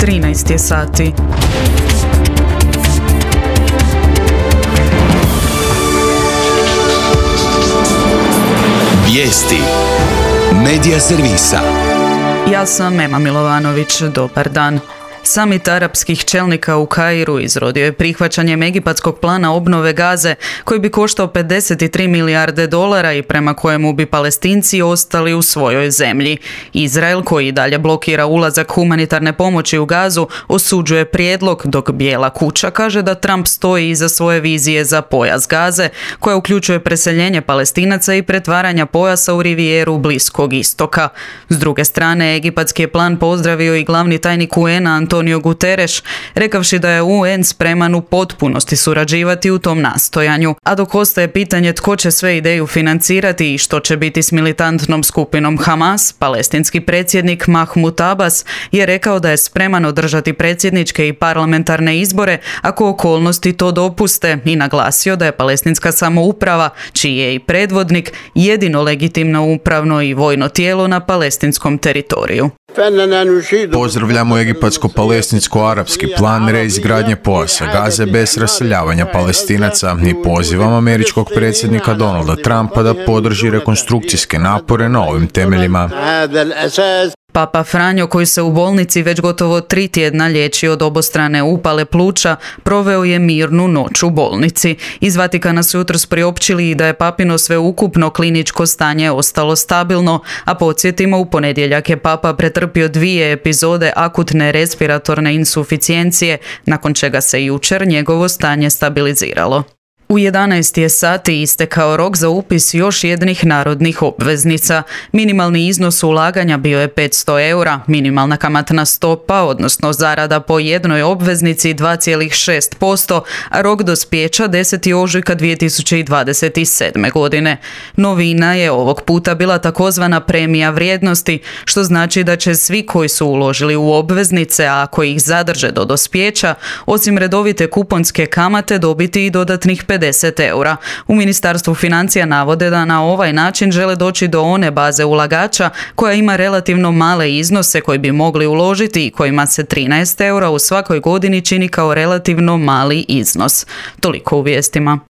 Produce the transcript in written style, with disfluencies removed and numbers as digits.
13 je sati. Vijesti Medija servisa. Ja sam Ema Milovanović, dobar dan. Samit arapskih čelnika u Kairu izrodio je prihvaćanjem egipatskog plana obnove Gaze koji bi koštao 53 milijarde dolara i prema kojemu bi Palestinci ostali u svojoj zemlji. Izrael, koji i dalje blokira ulazak humanitarne pomoći u Gazu, osuđuje prijedlog, dok Bijela kuća kaže da Trump stoji iza svoje vizije za pojas Gaze, koja uključuje preseljenje Palestinaca i pretvaranja pojasa u rivijeru Bliskog istoka. S druge strane, egipatski je plan pozdravio i glavni tajnik UN-a Antonio Guterres, rekavši da je UN spreman u potpunosti surađivati u tom nastojanju, a dok ostaje pitanje tko će sve ideju financirati i što će biti s militantnom skupinom Hamas, palestinski predsjednik Mahmud Abbas je rekao da je spreman održati predsjedničke i parlamentarne izbore ako okolnosti to dopuste i naglasio da je palestinska samouprava, čiji je i predvodnik, jedino legitimno upravno i vojno tijelo na palestinskom teritoriju. Pozdravljamo egipatsko-palestinsko-arapski plan reizgradnje pojasa Gaze bez raseljavanja Palestinaca i pozivamo američkog predsjednika Donalda Trumpa da podrži rekonstrukcijske napore na ovim temeljima. Papa Franjo, koji se u bolnici već gotovo 3 tjedna liječi od obostrane upale pluća, proveo je mirnu noć u bolnici. Iz Vatikana su jutros priopćili i da je papino sveukupno kliničko stanje ostalo stabilno, a podsjetimo, u ponedjeljak je papa pretrpio 2 epizode akutne respiratorne insuficijencije, nakon čega se jučer njegovo stanje stabiliziralo. U 11 je sati istekao rok za upis još jednih narodnih obveznica. Minimalni iznos ulaganja bio je 500 eura, minimalna kamatna stopa, odnosno zarada po jednoj obveznici 2,6%, a rok dospijeća 10. ožujka 2027. godine. Novina je ovog puta bila takozvana premija vrijednosti, što znači da će svi koji su uložili u obveznice, a ako ih zadrže do dospijeća, osim redovite kuponske kamate dobiti i dodatnih 50 eura. U Ministarstvu financija navode da na ovaj način žele doći do one baze ulagača koja ima relativno male iznose koji bi mogli uložiti i kojima se 13 eura u svakoj godini čini kao relativno mali iznos. Toliko u vijestima.